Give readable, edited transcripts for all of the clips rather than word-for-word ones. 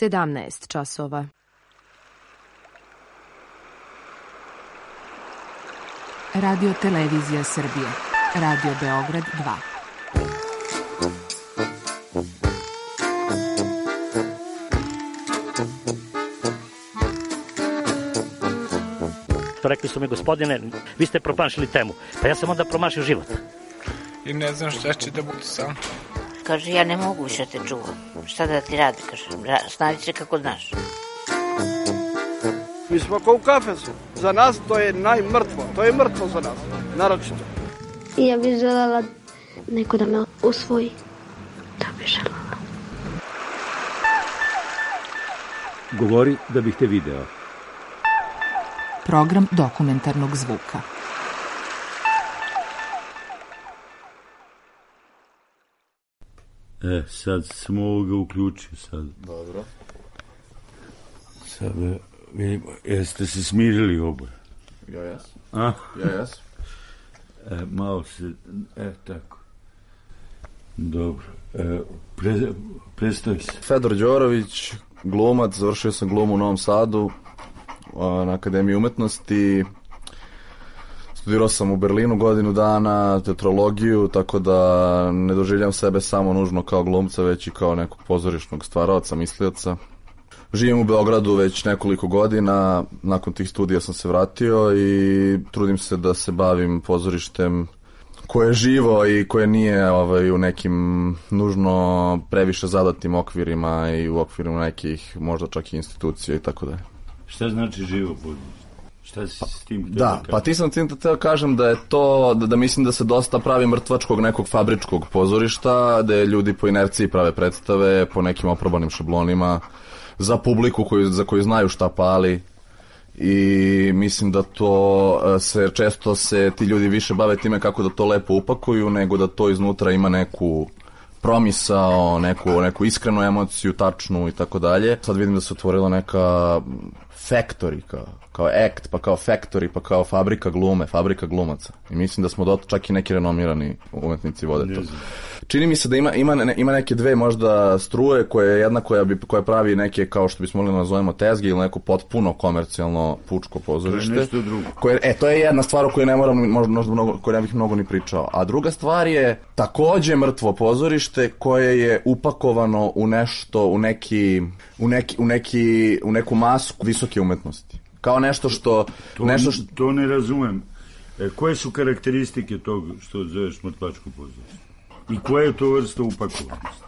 17 časova. Radio Televizija Srbije. Radio Beograd 2. Rekli su mi, gospodine, vi ste promašili temu. Pa ja sam onda promašio život. I ne znam šta će da bude sam. Kaže, ja ne mogu više te čuvam. Šta da ti radi, kaže, snađi se kako znaš. Mi smo kao u kafesu. Za nas to je najmrtvo. To je mrtvo za nas, naročito. Ja bih želela neko da me usvoji. Da bih želela. Govori da bih te video. Program dokumentarnog zvuka. Sad sam ovoga uključio sad. Dobro. Sad vidimo, jeste se smirili oboje? Ja jes. A? Ja jes. Malo se, tako. Dobro. Predstavi se. Fedor Đorović, glumac, završio sam glumu u Novom Sadu na Akademiji umetnosti. Studirao sam u Berlinu godinu dana, teatrologiju, tako da ne doživljam sebe samo nužno kao glumca, već i kao nekog pozorišnog stvaraoca, mislioca. Živim u Beogradu već nekoliko godina, nakon tih studija sam se vratio i trudim se da se bavim pozorištem koje je živo i koje nije u nekim nužno previše zadatim okvirima i u okvirima nekih možda čak i institucija i tako dalje. Šta znači živo pozorište? Šta si s tim htio da kažem? Pa ti sam htio kažem da je to, da mislim da se dosta pravi mrtvačkog nekog fabričkog pozorišta, gde ljudi po inerciji prave predstave, po nekim oprobanim šablonima, za publiku za koju znaju šta pali i mislim da to često se ti ljudi više bave time kako da to lepo upakuju nego da to iznutra ima neku promisao, neku iskrenu emociju, tačnu i tako dalje. Sad vidim da se otvorila neka factory, kao act, pa kao factory, pa kao fabrika glume, fabrika glumaca. I mislim da smo čak i neki renomirani umetnici vode to. Čini mi se da ima neke dve možda struje, jedna koja pravi neke, kao što bismo mogli nazovemo tezge ili neko potpuno komercijalno pučko pozorište. To je nešto drugo. To je jedna stvar o kojoj ne moram, možda mnogo, koju ne bih mnogo ni pričao. A druga stvar je takođe mrtvo pozorište koje je upakovano u nešto, u neku masku visoke umetnosti. Kao nešto što... To ne razumem. Koje su karakteristike tog što zoveš mrtvačko pozorište? I koja je to vrsta upakovanosti?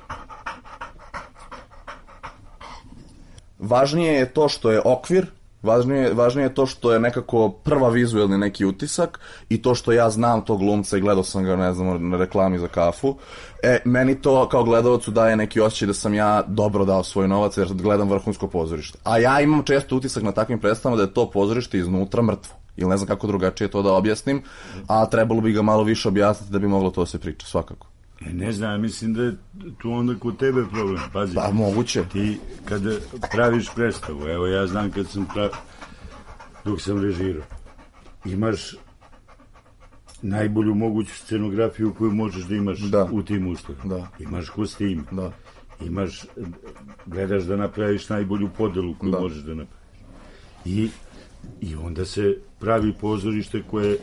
Važnije je to što je okvir, važnije je to što je nekako prva vizuelni neki utisak i to što ja znam tog glumca i gledao sam ga, ne znam, na reklami za kafu. Meni to kao gledalcu daje neki osjećaj da sam ja dobro dao svoj novac jer gledam vrhunsko pozorište. A ja imam često utisak na takvim predstavama da je to pozorište iznutra mrtvo. Ili ne znam kako drugačije to da objasnim, a trebalo bi ga malo više objasniti da bi moglo to se priča, svakako. Ne znam, mislim da je tu onda kod tebe problem. Pazi, pa moguće. Ti kada praviš predstavu, evo ja znam kad sam dok sam režirao, imaš najbolju moguću scenografiju koju možeš da imaš u tim uslovima. Imaš kostim, gledaš da napraviš najbolju podelu koju možeš da napraviš. I onda se pravi pozorište koje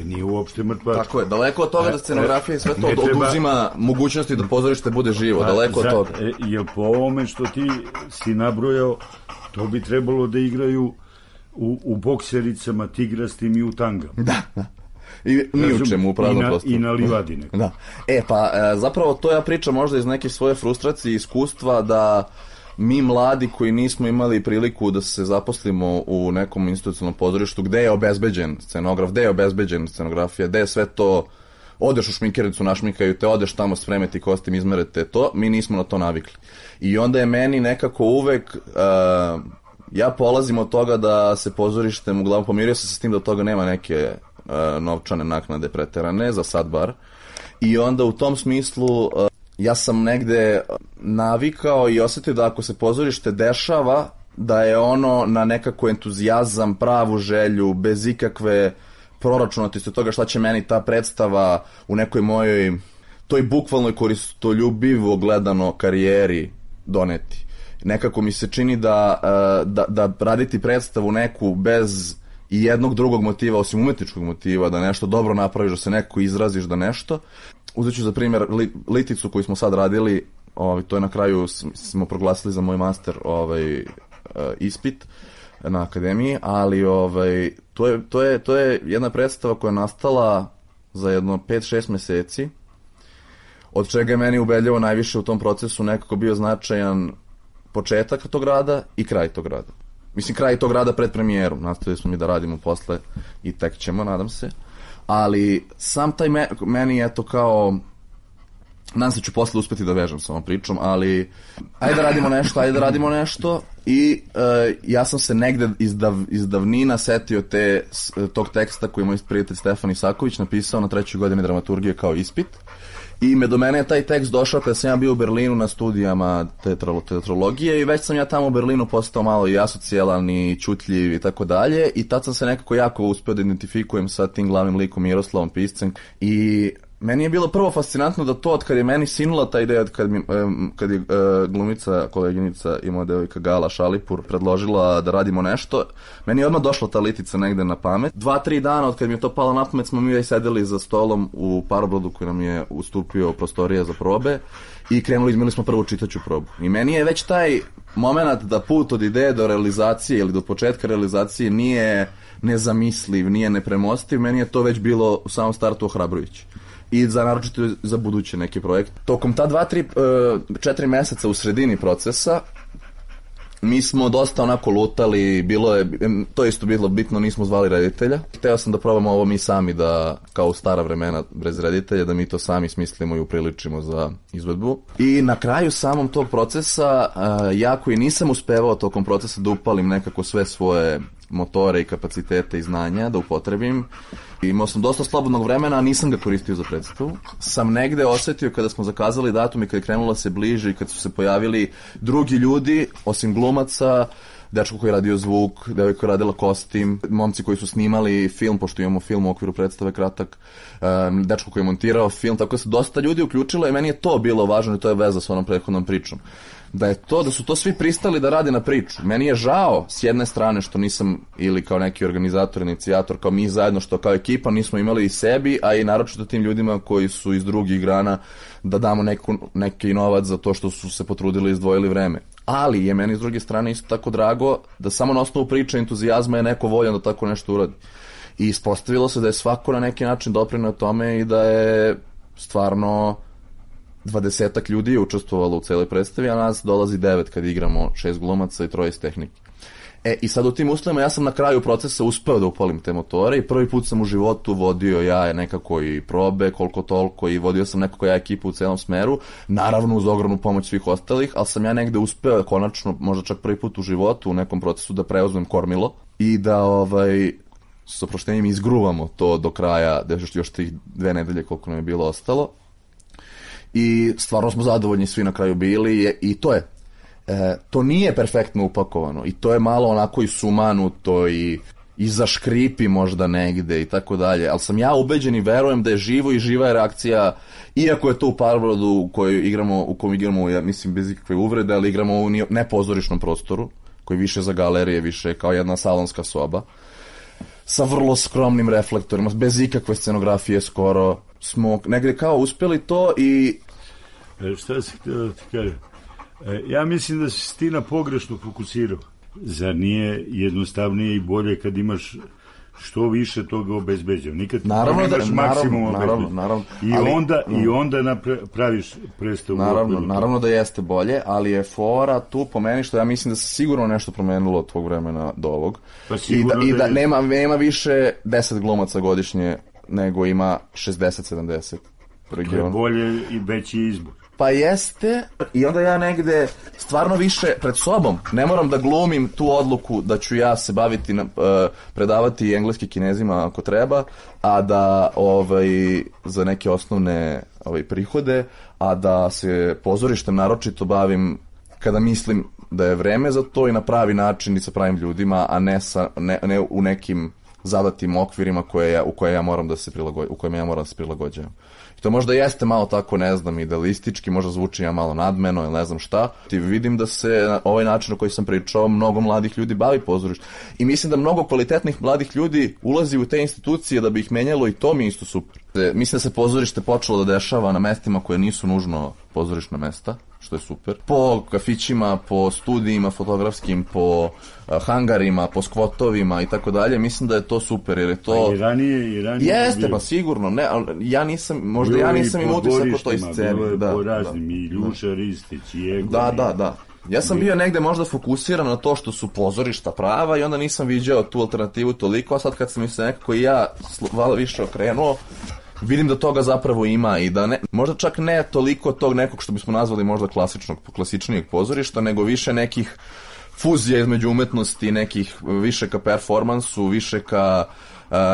nije uopšte mrtva. Tako je, daleko od toga da scenografija i sve to oduzima mogućnosti da pozorište bude živo, daleko od toga. Jer po ovome što ti si nabrojao, to bi trebalo da igraju u boksericama, tigrastim i u tangama. Da. I ni u čemu u praznom prostoru. I na livadi neko. Da. Pa zapravo to ja pričam možda iz neke svoje frustracije i iskustva da mi mladi koji nismo imali priliku da se zaposlimo u nekom institucionalnom pozorištu gde je obezbeđen scenograf, gde je obezbeđen scenografija, gde je sve to, odeš u šminkericu, našminkaju te, odeš tamo spremeti kostim, izmerete to, mi nismo na to navikli. I onda je meni nekako uvek, ja polazim od toga da se pozorištem, uglavnom pomirio sam se s tim da od toga nema neke novčane naknade preterane, za sad bar. I onda u tom smislu ja sam negde navikao i osetio da ako se pozorište dešava, da je ono na nekako entuzijazam, pravu želju, bez ikakve proračunatosti toga šta će meni ta predstava u nekoj mojoj, toj bukvalnoj koristoljubivo gledano karijeri doneti. nekako mi se čini da raditi predstavu neku bez i jednog drugog motiva, osim umetničkog motiva, da nešto dobro napraviš, da se neko izraziš, da nešto. Uzet ću za primjer liticu koju smo sad radili, to je na kraju smo proglasili za moj master ispit na akademiji, ali to je jedna predstava koja je nastala za jedno 5-6 meseci, od čega je meni ubedljivo najviše u tom procesu nekako bio značajan početak tog rada i kraj tog rada. Mislim, kraj tog rada pred premijerom, nastavili smo mi da radimo posle i tek ćemo, nadam se. Ali sam taj meni je to kao, nadam se ću posle uspeti da vežem sa ovom pričom, ali ajde da radimo nešto i ja sam se negde iz davnina setio tog teksta koji je moj prijatelj Stefan Isaković napisao na 3. godini dramaturgije kao ispit. I do mene je taj tekst došao kada sam ja bio u Berlinu na studijama teatrologije i već sam ja tamo u Berlinu postao malo i asocijalan i čutljiv i tako dalje i tad sam se nekako jako uspio da identifikujem sa tim glavnim likom Miroslavom Piscem i meni je bilo prvo fascinantno da to od kad je meni sinula ta ideja, kad je glumica, koleginica i moja devojka Gala Šalipur predložila da radimo nešto, meni je odmah došla ta litica negde na pamet. 2-3 dana od kad mi je to palo na pamet smo mi sedeli za stolom u Parobrodu koji nam je ustupio prostorije za probe i imali smo prvu čitaću probu. I meni je već taj moment da put od ideje do realizacije ili do početka realizacije nije nezamisliv, nije nepremostiv, meni je to već bilo u samom startu ohrabrujuće. I naročito za buduće neke projekte. Tokom ta 2-4 meseca u sredini procesa mi smo dosta onako lutali, to je isto bilo bitno, nismo zvali reditelja. Hteo sam da probamo ovo mi sami da, kao u stara vremena bez reditelja, da mi to sami smislimo i upriličimo za izvedbu. I na kraju samom tog procesa, ja koji nisam uspevao tokom procesa da upalim nekako sve svoje motore i kapacitete i znanja, da upotrebim. Imao sam dosta slobodnog vremena, a nisam ga koristio za predstavu. Sam negde osetio kada smo zakazali datum i kada je krenulo se bliže i kad su se pojavili drugi ljudi, osim glumaca, dečko koji je radio zvuk, devojka koja je radila kostim, momci koji su snimali film, pošto imamo film u okviru predstave kratak, dečko koji je montirao film, tako da se dosta ljudi uključilo i meni je to bilo važno i to je veza s onom prethodnom pričom. Da su to svi pristali da rade na priču. Meni je žao s jedne strane što nisam ili kao neki organizator, inicijator, kao mi zajedno što kao ekipa nismo imali i sebi, a i naročito tim ljudima koji su iz drugih grana da damo neki novac za to što su se potrudili i izdvojili vreme. Ali je meni s druge strane isto tako drago da samo na osnovu priče entuzijazma je neko voljan da tako nešto uradi. I ispostavilo se da je svako na neki način doprineo tome i da je stvarno 20 ljudi je učestvovalo u celoj predstavi, a nas dolazi 9 kad igramo 6 glumaca i 3 iz tehnike. I sad u tim uslovima ja sam na kraju procesa uspeo da upalim te motore i prvi put sam u životu vodio ja nekako i probe, koliko toliko, i vodio sam nekako ja ekipu u celom smeru, naravno uz ogromnu pomoć svih ostalih, ali sam ja negde uspeo konačno, možda čak prvi put u životu u nekom procesu da preuzmem kormilo i da s oproštenjem izgruvamo to do kraja, još tih 2 nedelje koliko nam je bilo ostalo. I stvarno smo zadovoljni svi na kraju bili i to je. To nije perfektno upakovano i to je malo onako i sumanuto i zaškripi možda negde i tako dalje, ali sam ja ubeđen i verujem da je živo i živa je reakcija, iako je to u Parobrodu u kojem igramo, ja mislim bez ikakve uvrede, ali igramo u nepozorišnom prostoru, koji više za galerije, više kao jedna salonska soba, sa vrlo skromnim reflektorima, bez ikakve scenografije skoro, smo negde kao uspjeli to i... Šta si htio da ti kažem? Ja mislim da si ti na pogrešno fokusirao. Zar nije jednostavnije i bolje kad imaš što više toga obezbeđeno? Nikad ti imaš maksimum obezbeđeno. I onda praviš predstavu. Naravno da jeste bolje, ali je fora tu po meni što ja mislim da se sigurno nešto promenilo od tvog vremena do ovog. Pa I da nema više 10 glumaca godišnje nego ima 60-70. To je bolje i veći izbor. Pa jeste, i onda ja negde stvarno više pred sobom ne moram da glumim tu odluku da ću ja se baviti, predavati engleski Kinezima ako treba, a da za neke osnovne prihode, a da se pozorištem naročito bavim kada mislim da je vreme za to i na pravi način i sa pravim ljudima, a ne u nekim zadatim okvirima u kojima ja moram da se prilagođavam. I to možda jeste malo tako, ne znam, idealistički, možda zvuči ja malo nadmeno ili ne znam šta. I vidim da se na ovaj način o koji sam pričao mnogo mladih ljudi bavi pozorištem. I mislim da mnogo kvalitetnih mladih ljudi ulazi u te institucije da bi ih menjalo i to mi je isto super. Mislim da se pozorište počelo da dešava na mestima koje nisu nužno pozorišna mesta, što je super. Po kafićima, po studijima fotografskim, po hangarima, po skvotovima i tako dalje. Mislim da je to super, jer je to... Pa i ranije jeste, pa sigurno. Ne, ali ja nisam imao utisak o toj sceni. Bilo je po raznim, i Ljuša Ristić, i Egon. Da. Ja sam bio negde možda fokusiran na to što su pozorišta prava i onda nisam viđao tu alternativu toliko, a sad kad sam mi se nekako i ja više okrenuo, vidim da toga zapravo ima i da ne, možda čak ne toliko tog nekog što bismo nazvali možda klasičnijeg pozorišta, nego više nekih fuzija između umetnosti, nekih više ka performansu, više ka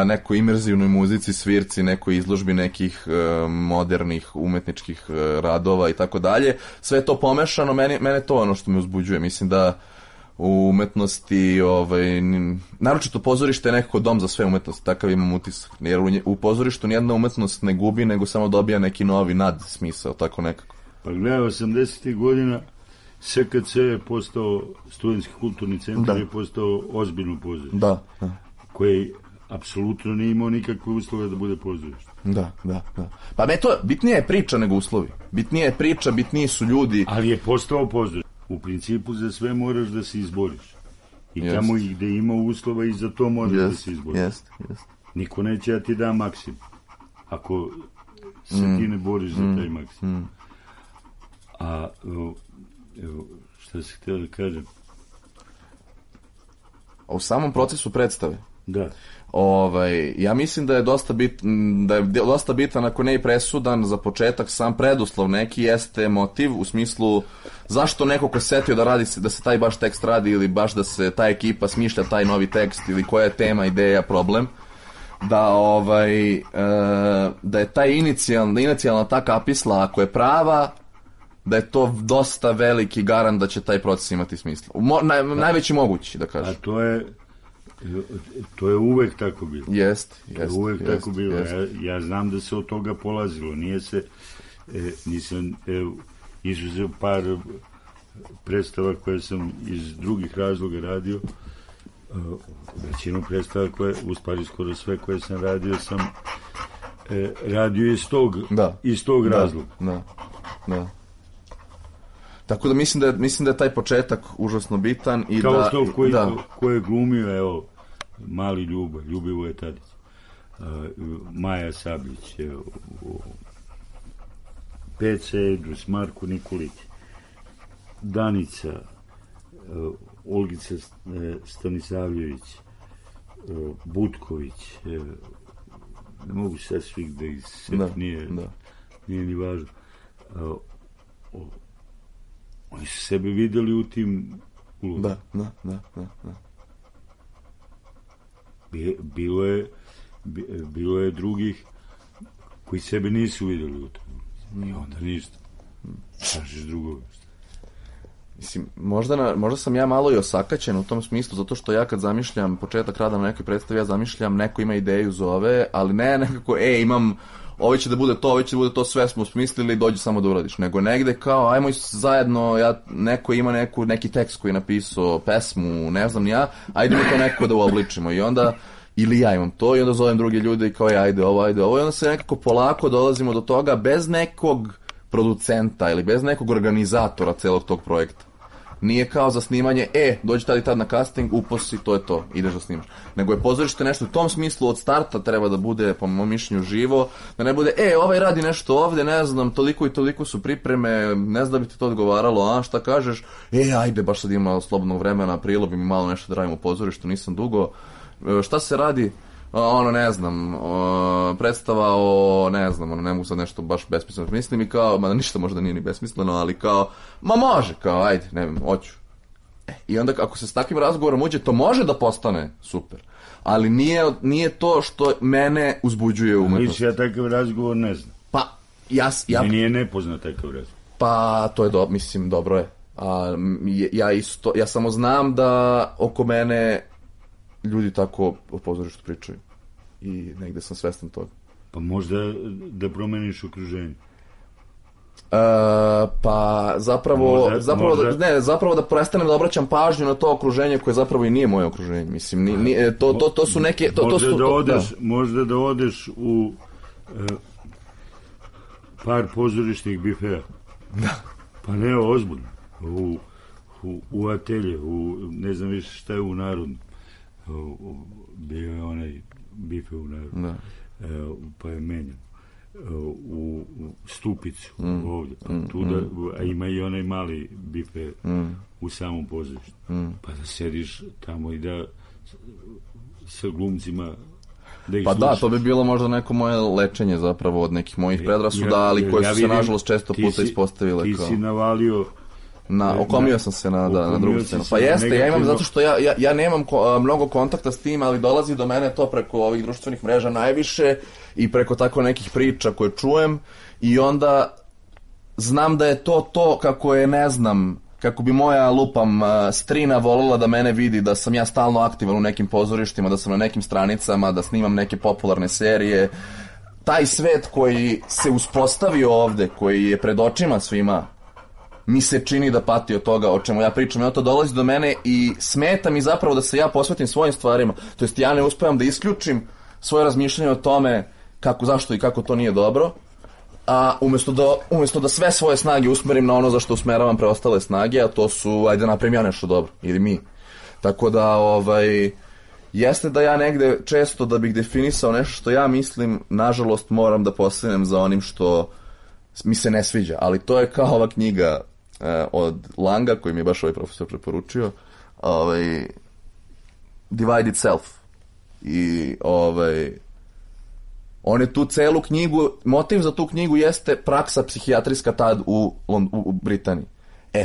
nekoj imerzivnoj muzici, svirci, nekoj izložbi nekih modernih umetničkih radova i tako dalje. Sve je to pomešano, mene to ono što me uzbuđuje. Mislim da u umetnosti, naročito pozorište je nekako dom za sve umetnosti, takav imam utisak. Jer u pozorištu nijedna umetnost ne gubi, nego samo dobija neki novi nadsmisao, tako nekako. Pa gledaj, 80. godina SKC je postao studentski kulturni centar, je postao ozbiljno pozorište. Da. Koji apsolutno nije imao nikakve uslove da bude pozorište. Da. Pa bitnije je priča nego uslovi. Bitnije je priča, bitniji su ljudi. Ali je postao pozorište. U principu za sve moraš da se izboriš. I tamo i gde ima uslova i za to moraš da se izboriš. Jest. Niko neće da ti da maksimum. Ako se ti ne boriš za taj maksimum. A šta se htio da kažem? U samom procesu predstave. Da. Ja mislim da je dosta bitan, ako ne i presudan za početak, sam preduslov neki jeste motiv, u smislu zašto neko ko se setio da se taj baš tekst radi ili baš da se ta ekipa smišlja taj novi tekst ili koja je tema, ideja, problem, da je taj inicijalna ta kapisla, ako je prava, da je to dosta veliki garant da će taj proces imati smisla. Najveći mogući, da kažem. A to je uvek tako bilo. Uvek tako bilo. Ja znam da se od toga polazilo. Nisam izuzeo par predstava koje sam iz drugih razloga radio. Većinu predstava skoro sve koje sam radio sam radio iz tog razloga. Da. Tako da mislim da je taj početak užasno bitan i kao što ko je glumio, mali Ljubivoje Tadić, Maja Sablić, Peca Edrus, Marko Nikolić, Danica, Olgica Stanisavljević, Butković, ne mogu sad svih da ih nije ni važno. Oni su sebe videli u tim ulogama. Da. Bilo je drugih koji sebe nisu videli u tom. I onda ništa. Kažeš drugoga. Mislim, možda sam ja malo i osakaćen u tom smislu, zato što ja kad zamišljam početak rada na nekoj predstavi, ja zamišljam neko ima ideju zove, ali ne nekako, imam ovo će da bude to, sve smo smislili, dođi samo da uradiš, nego negde kao, ajmo zajedno, neko ima neki tekst koji je napisao, pesmu, ne znam ja, ajde mi to neko da uobličimo i onda, ili ja imam to i onda zovem druge ljude i kao ajde ovo i onda se nekako polako dolazimo do toga bez nekog producenta ili bez nekog organizatora celog tog projekta. Nije kao za snimanje, dođi tad i tad na casting, uposi, to je to, ideš da snimaš. Nego je pozorište nešto u tom smislu od starta treba da bude, po mojom mišljenju, živo, da ne bude, ovaj radi nešto ovde, ne znam, toliko i toliko su pripreme, ne znam da bi ti to odgovaralo, šta kažeš, ajde, baš sad ima slobodnog vremena, aprilo bi mi malo nešto da radim u pozorištu, nisam dugo, šta se radi? Ne znam, predstava ne mogu sad nešto baš besmisleno mislim i kao, mada ništa možda nije ni besmisleno, ali kao, može, kao, ajde, ne vem, hoću. I onda ako se s takvim razgovorom uđe, to može da postane super, ali nije to što mene uzbuđuje u umetnosti. Ja takav razgovor ne znam. Pa, meni je nepoznat takav razgovor. Pa, to je mislim, dobro je. Ja samo znam da oko mene ljudi tako o pozorištu pričaju. I negde sam svestan toga. Pa možda da promeniš okruženje. Pa zapravo da prestanem da obraćam pažnju na to okruženje koje zapravo i nije moje okruženje. Mislim, to su neke... Možda da odeš u par pozorišnih bifeja. Da. Pa ne, ozbiljno. U atelje, ne znam više šta je u Narodnu. Bio je onaj bife u Narodnu. Da. Pa je menjan. U Stupicu, ovdje. A ima i onaj mali bife u samom pozorištu. Pa da sediš tamo i da sa glumcima da ih pa slušaš. Da, to bi bilo možda neko moje lečenje zapravo od nekih mojih predrasuda, ali koje su se nažalost često puta ispostavile ti kao... Ti si navalio... Okomio sam se na drugu scenu. Pa jeste, ja imam zato što ja nemam mnogo kontakta s tim, ali dolazi do mene to preko ovih društvenih mreža najviše i preko tako nekih priča koje čujem i onda znam da je to kako je, ne znam, kako bi moja strina voljela da mene vidi, da sam ja stalno aktivan u nekim pozorištima, da sam na nekim stranicama, da snimam neke popularne serije. Taj svet koji se uspostavio ovde, koji je pred očima svima, mi se čini da pati od toga o čemu ja pričam. I to dolazi do mene i smeta mi zapravo da se ja posvetim svojim stvarima. To jest ja ne uspevam da isključim svoje razmišljanje o tome kako, zašto i kako to nije dobro. A umjesto da sve svoje snage usmerim na ono za što usmeravam preostale snage, a to su, ajde napravim ja nešto dobro, ili mi. Tako da, jeste da ja negde često da bih definisao nešto što ja mislim, nažalost moram da posegnem za onim što mi se ne sviđa. Ali to je kao ova knjiga od Langa, koju mi je baš ovaj profesor preporučio, Divided Self. I on je tu celu knjigu, motiv za tu knjigu jeste praksa psihijatrijska tad u Britaniji.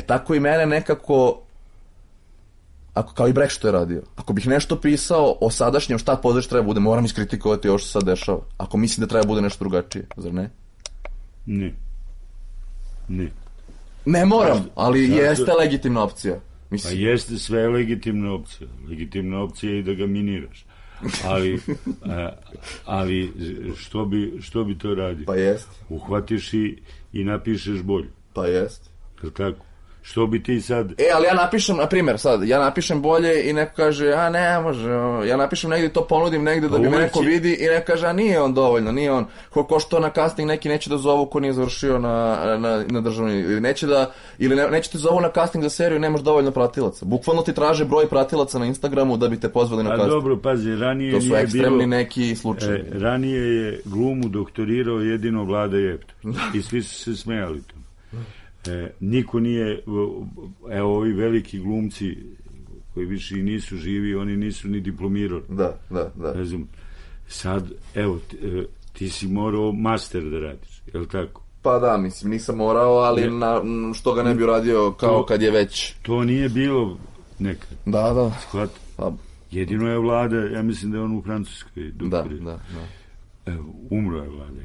Tako i mene nekako, kao i Brecht što je radio, ako bih nešto pisao o sadašnjem šta pozorište treba bude, moram iskritikovati ovo što se sad dešava. Ako mislim da treba bude nešto drugačije, zar ne? Ne. Ne moram, ali jeste legitimna opcija. Pa jeste sve legitimna opcija. Legitimna opcija je i da ga miniraš. Ali što bi to radio? Pa jest. Uhvatiš i napišeš bolje. Pa jest. Je li tako? Što bi ti sad... ali ja napišem, na primjer, ja napišem bolje i neko kaže, ne može, ja napišem negdje, to ponudim negdje da bi me neko vidi i neko kaže, nije on dovoljno, nije on, ko što na casting neki neće da zovu ko nije završio na državni, ili neće te zovu na casting za seriju, nemaš dovoljno pratilaca. Bukvalno ti traže broj pratilaca na Instagramu da bi te pozvali na casting. Dobro, pazi, ranije to su ekstremni neki slučaje. Ranije je glumu doktorirao jedino Vlada Jeftović i svi su se smejali to. Niko nije, ovi veliki glumci koji više i nisu živi, oni nisu ni diplomirali. Da. Sad, ti si morao master da radiš, je li tako? Pa da, mislim, nisam morao, ali što ga ne bi radio kao kad je već... To nije bilo nekad. Da. Shvat? Jedino je Vlada, ja mislim da je on u Francuskoj doktorirao. Da. Umro je Vlada.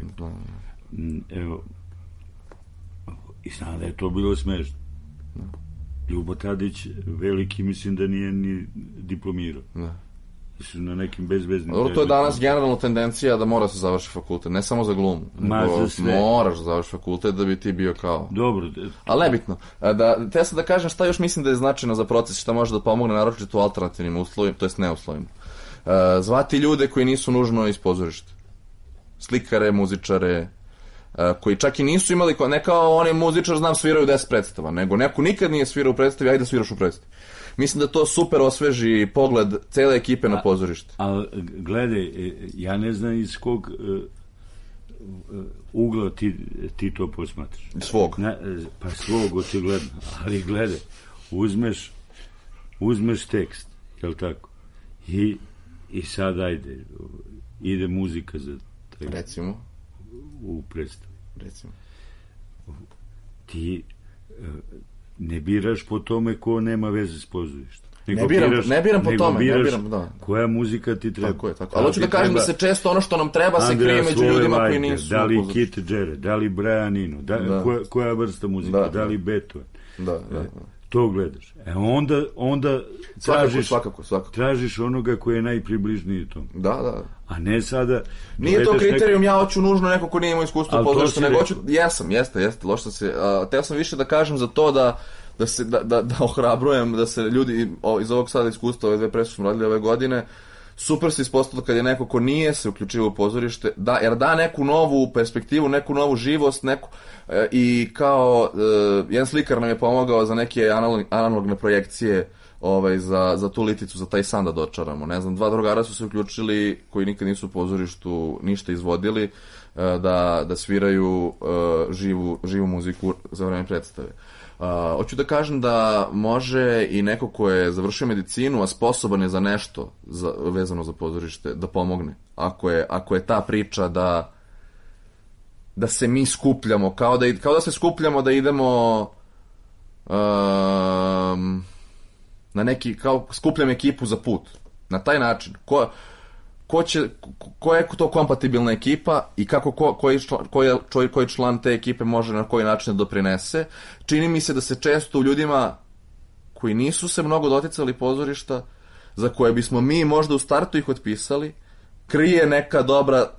I znam da je to bilo smešno. Ljubo Tadić, veliki, mislim da nije ni diplomirao. Su na nekim bezveznim... To je danas generalna tendencija da mora se završi fakultet, ne samo za glumu. Moraš da završi fakultet da bi ti bio kao... Dobro. Ali nebitno. Te sad da kažem šta još mislim da je značajno za proces, šta može da pomogne naročito u alternativnim uslovima, to jest neuslovima. Zvati ljude koji nisu nužno iz pozorišta. Slikare, muzičare... koji čak i nisu imali, ne kao oni muzičar znam sviraju 10 predstava, nego neko nikad nije svirao u predstavi, ajde sviraš u predstavi. Mislim da to super osveži pogled cele ekipe na pozorište. Ali gledaj, ja ne znam iz kog ugla ti to posmatraš. Svog. Pa svog, očigledno. Ali gledaj, uzmeš tekst, jel tako? I sad ajde, ide muzika za tekst. Recimo u predstavi. Ti ne biraš po tome ko nema veze s pozorištem. Ne biram po tome. Koja muzika ti treba. Tako. Ali hoću da kažem da se često ono što nam treba se krije među ljudima koji nisu. Da li Kit Jarrett, da li Brian Eno, koja vrsta muzika, da li Beethoven. to gledaš. Onda tražiš onoga koji je najpribližniji tom. Da. A ne sada... Nije to kriterijum, ja hoću nužno neko ko nije imao iskustvo pozorišta, nego hoću... Jeste, loš sam se... Teo sam više da kažem za to da ohrabrujem, da se ljudi iz ovog sada iskustva, ove 2 predstave smo radili ove godine, super se ispostavilo kad je neko ko nije se uključio u pozorište, jer da neku novu perspektivu, neku novu živost, i kao jedan slikar nam je pomogao za neke analogne projekcije za tu liticu, za taj san da dočaramo. Ne znam, 2 drugara su se uključili koji nikad nisu u pozorištu ništa izvodili, da sviraju živu muziku za vreme predstave. Hoću da kažem da može i neko ko je završio medicinu, a sposoban je za nešto vezano za pozorište, da pomogne. Ako je ta priča da se mi skupljamo, kao da se skupljamo da idemo na neki, kao skupljam ekipu za put. Na taj način. Koja je to kompatibilna ekipa i kako koji član te ekipe može na koji način da doprinese. Čini mi se da se često u ljudima koji nisu se mnogo doticali pozorišta, za koje bismo mi možda u startu ih otpisali, krije neka dobra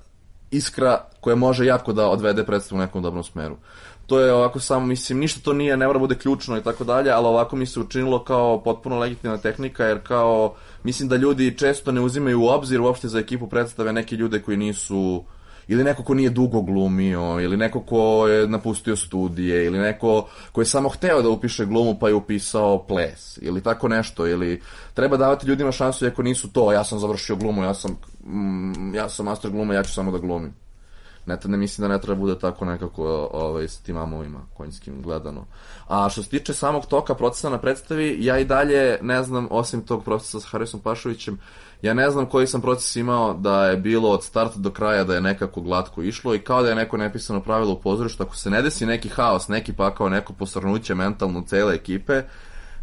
iskra koja može jako da odvede predstavu u nekom dobrom smeru. To je ovako samo, mislim, ništa to nije, ne mora bude ključno i tako dalje, ali ovako mi se učinilo kao potpuno legitimna tehnika, jer kao, mislim da ljudi često ne uzimaju u obzir uopšte za ekipu predstave neke ljude koji nisu, ili neko ko nije dugo glumio, ili neko ko je napustio studije, ili neko ko je samo hteo da upiše glumu pa je upisao ples, ili tako nešto, ili treba davati ljudima šansu iako nisu to, ja sam završio glumu, ja sam master glume, ja ću samo da glumim. Ne mislim da ne treba bude tako nekako s tim amovima konjskim gledano. A što se tiče samog toka procesa na predstavi, ja i dalje ne znam, osim tog procesa sa Harisom Pašovićem, ja ne znam koji sam proces imao da je bilo od starta do kraja da je nekako glatko išlo i kao da je neko nepisano pravilo u pozorištu, ako se ne desi neki haos, neki pakao, neko posrnuće mentalno cele ekipe,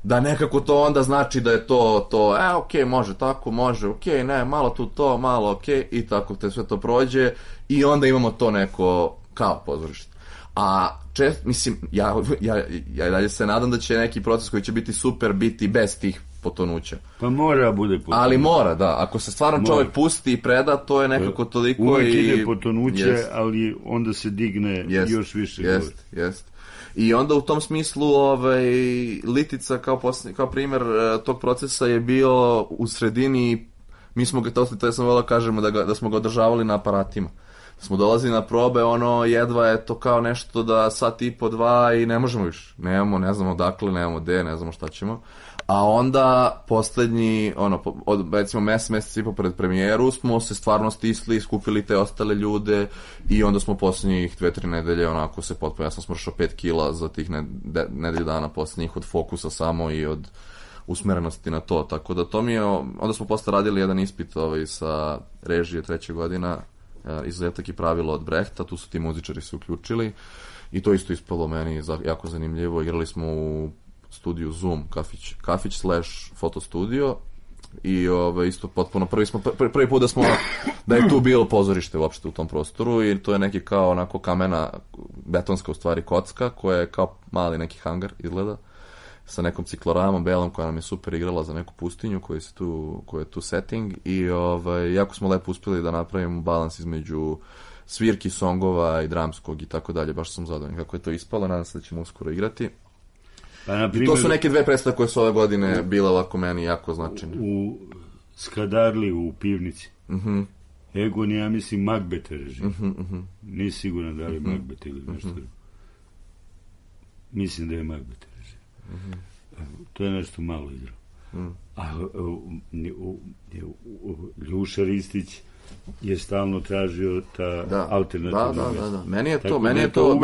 da nekako to onda znači da je to, okej, može tako, može, okej, ne, malo tu to, malo okej, i tako te sve to prođe i onda imamo to neko kao pozorište. A mislim, ja dalje se nadam da će neki proces koji će biti super biti bez tih potonuća. Pa mora bude potonuće. Ali mora, da. Ako se stvarno čovjek pusti i preda, to je nekako toliko uvijek ide potonuće, ali onda se digne još više gore. Jest. I onda u tom smislu litica kao primjer tog procesa je bio u sredini, mi smo ga, to sam volao kažemo da smo ga održavali na aparatima. Da smo dolazili na probe, jedva je to kao nešto da sat i po 2 i ne možemo više. Nemamo, ne znamo odakle, nemamo gde, ne znamo šta ćemo. A onda poslednji, recimo mesec i po pred premijeru smo se stvarno stisli, skupili te ostale ljude i onda smo poslednjih 2-3 nedelje onako se potpuno, ja sam smršao 5 kila za tih nedelju dana poslednjih od fokusa samo i od usmerenosti na to, tako da to mi je, onda smo posle radili jedan ispit sa režije 3. godina, izuzetak i pravilo od Brehta, tu su ti muzičari se uključili i to isto ispalo meni jako zanimljivo, igrali smo u studiju Zoom, kafić / fotostudio i isto potpuno prvi put da je tu bilo pozorište uopšte u tom prostoru i to je neki kao onako kamena, betonska u stvari kocka koja je kao mali neki hangar izgleda sa nekom cikloramom belom koja nam je super igrala za neku pustinju koja je tu setting i jako smo lepo uspjeli da napravimo balans između svirki, songova i dramskog i tako dalje, baš sam zadovoljan kako je to ispalo, nadam se da ćemo uskoro igrati. I to su neke 2 predstave koje su ove godine bile ovako meni jako značajne. U Skadarli u pivnici. Egon je, ja mislim, Macbeth režim. Nisi siguran da li Macbeth ili nešto. Mislim da je Macbeth režim. To je nešto malo igrao. A Ljuša Ristić je stalno tražio ta alternativna mesta. Da. Meni je to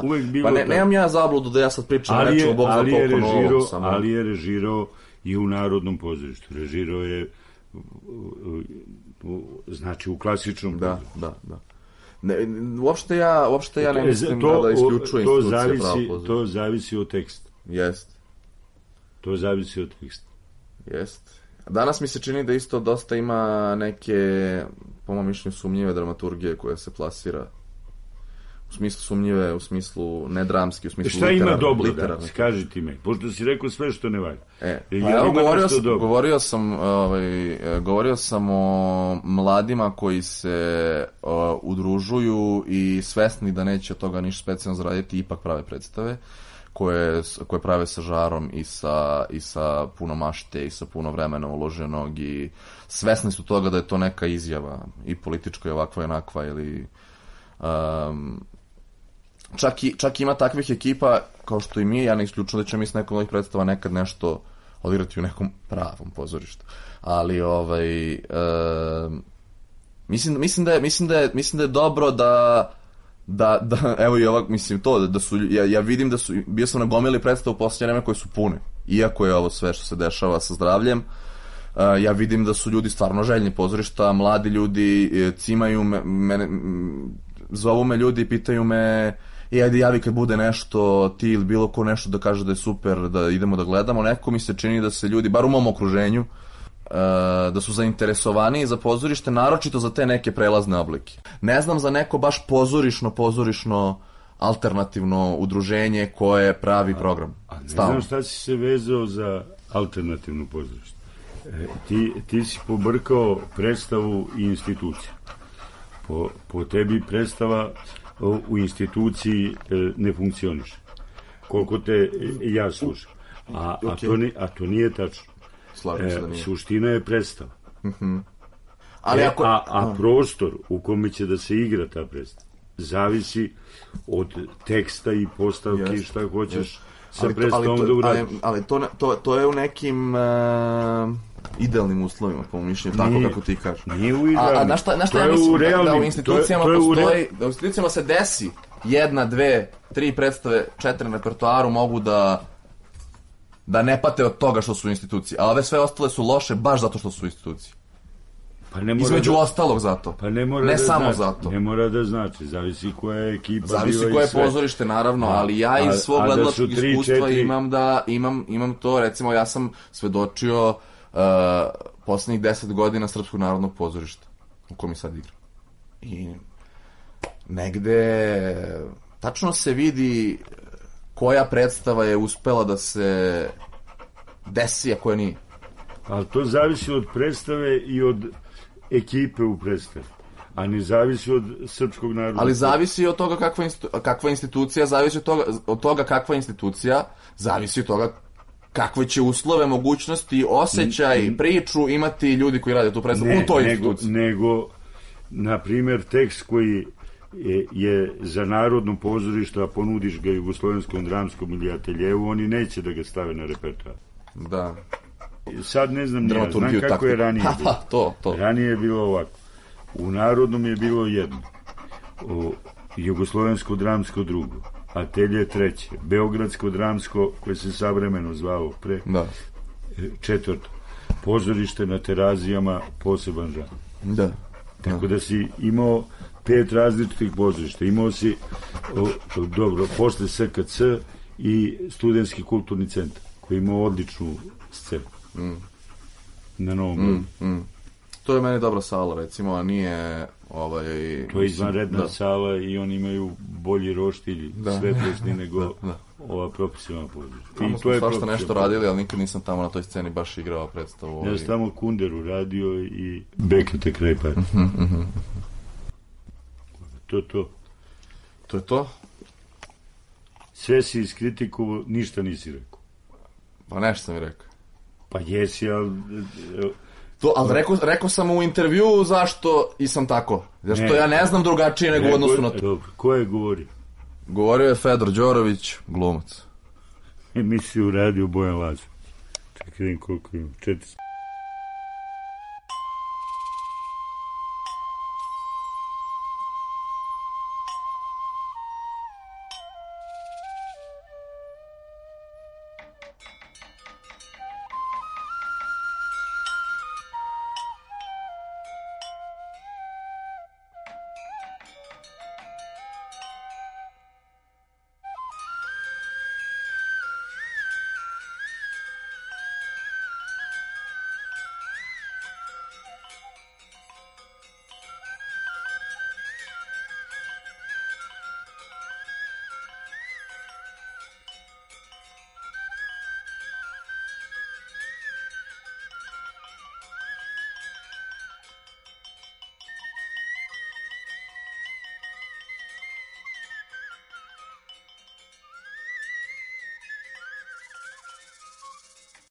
uvek bilo. Pa nemam ja zabludu da ja sad pričam nečemu, Bog zna koliko novog. Ali je režirao i u Narodnom pozorištu. Režirao je znači u klasičnom. Da. Uopšte ja ne mislim da isključujem institucije pravo pozorišta. To zavisi od teksta. Jest. To zavisi od teksta. Jest. Danas mi se čini da isto dosta ima neke, po mojom mišljenju, sumnjive dramaturgije koja se plasira U smislu sumnjive, u smislu nedramski, u smislu Šta ima literarne, dobro, literarne. kaži ti me, pošto si rekao sve što ne valja. Govorio sam o mladima koji se udružuju i svesni da neće od toga ništa specijalno zaraditi, ipak prave predstave koje prave sa žarom i sa puno mašte i sa puno vremena uloženog i svesni su toga da je to neka izjava i politička i ovakva i onakva ili čak ima takvih ekipa kao što i mi, ja ne isključujem da ćemo mi s nekom ovih predstava nekad nešto odigrati u nekom pravom pozorištu, ali mislim da je dobro da evo i ovak, mislim to, da su, ja vidim da su, bio sam na gomili predstavu u posljednje vreme koje su pune, iako je ovo sve što se dešava sa zdravljem, ja vidim da su ljudi stvarno željni pozorišta, mladi ljudi cimaju mene, zovu me ljudi i pitaju me ajde javi kad bude nešto, ti ili bilo ko nešto da kaže da je super, da idemo da gledamo, neko mi se čini da se ljudi, bar u mom okruženju, da su zainteresovani za pozorište, naročito za te neke prelazne oblike. Ne znam za neko baš pozorišno alternativno udruženje koje pravi program. A ne znam šta si se vezao za alternativno pozorište. Ti si pobrkao predstavu i instituciju. Po tebi predstava u instituciji ne funkcioniše. Koliko te ja slušam. A to nije tačno. Suština je predstava. A prostor u kome će da se igra ta predstava zavisi od teksta i postavki, šta hoćeš sa predstavom da uradiš. Ali to je u nekim idealnim uslovima, po mišljenju, tako kako ti kažeš. Nije u idealnim. A na šta ja mislim da u institucijama postoji, da u institucijama se desi 1, 2, 3 predstave, 4 na repertoaru mogu da ne pate od toga što su institucije, a ove sve ostale su loše baš zato što su institucije. Između ostalog zato. Ne samo zato. Ne mora da znači, zavisi koja je ekipa. Zavisi koje je pozorište, naravno, ali ja iz svog gledalačkog iskustva imam to, recimo ja sam svedočio poslednjih 10 godina Srpskog narodnog pozorišta u kojem sad igram. I negde tačno se vidi koja predstava je uspela da se desi, a koja nije. Ali to zavisi od predstave i od ekipe u predstavi, a ne zavisi od Srpskog narodnog. Ali zavisi od toga kakva institucija, zavisi od toga kakva institucija, zavisi od toga kakve će uslove, mogućnosti, osjećaj, priču imati ljudi koji rade tu predstavu u toj instituciji. Nego, na primjer, tekst koji je za narodno pozorište, a ponudiš ga Jugoslovenskom dramskom ili ateljevu, oni neće da ga stave na repertoar. Da. Sad ne znam, znam kako je ranije bilo. Ranije je bilo ovako. U narodnom je bilo jedno. Jugoslovensko dramsko drugo. Atelje treće. Beogradsko dramsko, koje se savremeno zvao pre. Četvrto. Pozorište na Terazijama, poseban žanr. Da. Tako da si imao 5 različitih pozorišta. Imao si, posle SKC i Studentski kulturni centar, koji imao odličnu scenu. Na Novom Beogradu. To je meni dobra sala, recimo, a nije to je izvanredna sala i oni imaju bolji roštilj svetlosti nego ova profesionalna pozorišta. Tamo smo svašta nešto radili, ali nikad nisam tamo na toj sceni baš igrao predstavu. Ja sam tamo Kunderu radio i Bekete kraj pari. To je to? Sve si iskritikovao, ništa nisi rekao. Pa nešto sam mi rekao. Pa jesi, ali... Ali rekao sam u intervju zašto i sam tako. Zašto ja ne znam drugačije nego u odnosu na to. Dobro, ko je govorio? Govorio je Fedor Đorović, glumac. Emisiju radio Bojan Lazo. Čekaj, vidim koliko imam. 4